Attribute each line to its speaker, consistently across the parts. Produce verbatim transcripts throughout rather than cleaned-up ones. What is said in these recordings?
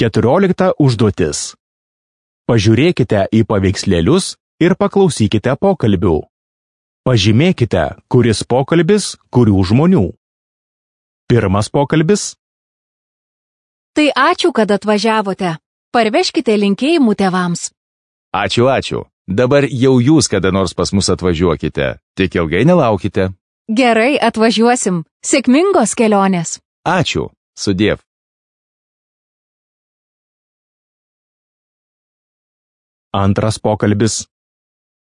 Speaker 1: Keturiolikta užduotis. Pažiūrėkite į paveikslėlius ir paklausykite pokalbių. Pažymėkite, kuris pokalbis, kurių žmonių. Pirmas pokalbis.
Speaker 2: Tai ačiū, kad atvažiavote. Parveškite linkėjimų tėvams.
Speaker 3: Ačiū, ačiū. Dabar jau jūs kada nors pas mus atvažiuokite. Tik ilgai nelaukite.
Speaker 2: Gerai, atvažiuosim. Sėkmingos kelionės.
Speaker 3: Ačiū. Sudiev.
Speaker 1: Antras pokalbis.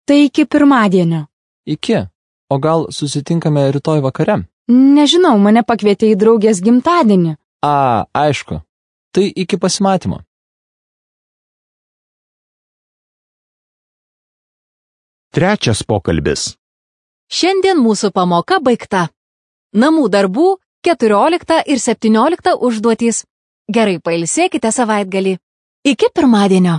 Speaker 4: Tai iki pirmadienio.
Speaker 5: Iki. O gal susitinkame rytoj vakare?
Speaker 4: Nežinau, mane pakvietė į draugės gimtadienį.
Speaker 5: A, aišku. Tai iki pasimatymo.
Speaker 1: Trečias pokalbis.
Speaker 2: Šiandien mūsų pamoka baigta. Namų darbų keturiolikta ir septyniolikta užduotys. Gerai pailsėkite savaitgalį. Iki pirmadienio.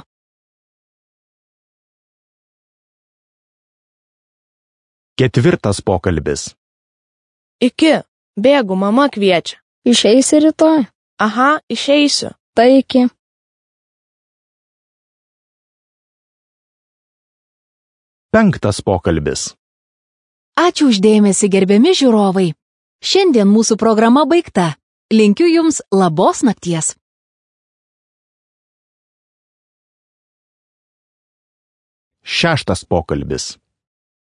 Speaker 1: Ketvirtas pokalbis.
Speaker 6: Iki. Bėgu, mama kviečia.
Speaker 7: Išeisi rytoj?
Speaker 6: Aha, išeisiu.
Speaker 7: Tai iki.
Speaker 1: Penktas pokalbis.
Speaker 2: Ačiū uždėmesi, gerbiami žiūrovai. Šiandien mūsų programa baigta. Linkiu jums labos nakties.
Speaker 1: Šeštas pokalbis.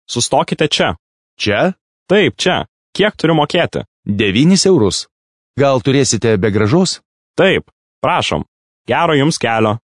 Speaker 8: Sustokite čia.
Speaker 3: Čia?
Speaker 8: Taip, čia. Kiek turiu mokėti?
Speaker 3: Devynis eurus. Gal turėsite be grąžos?
Speaker 8: Taip, prašom. Gero jums kelio.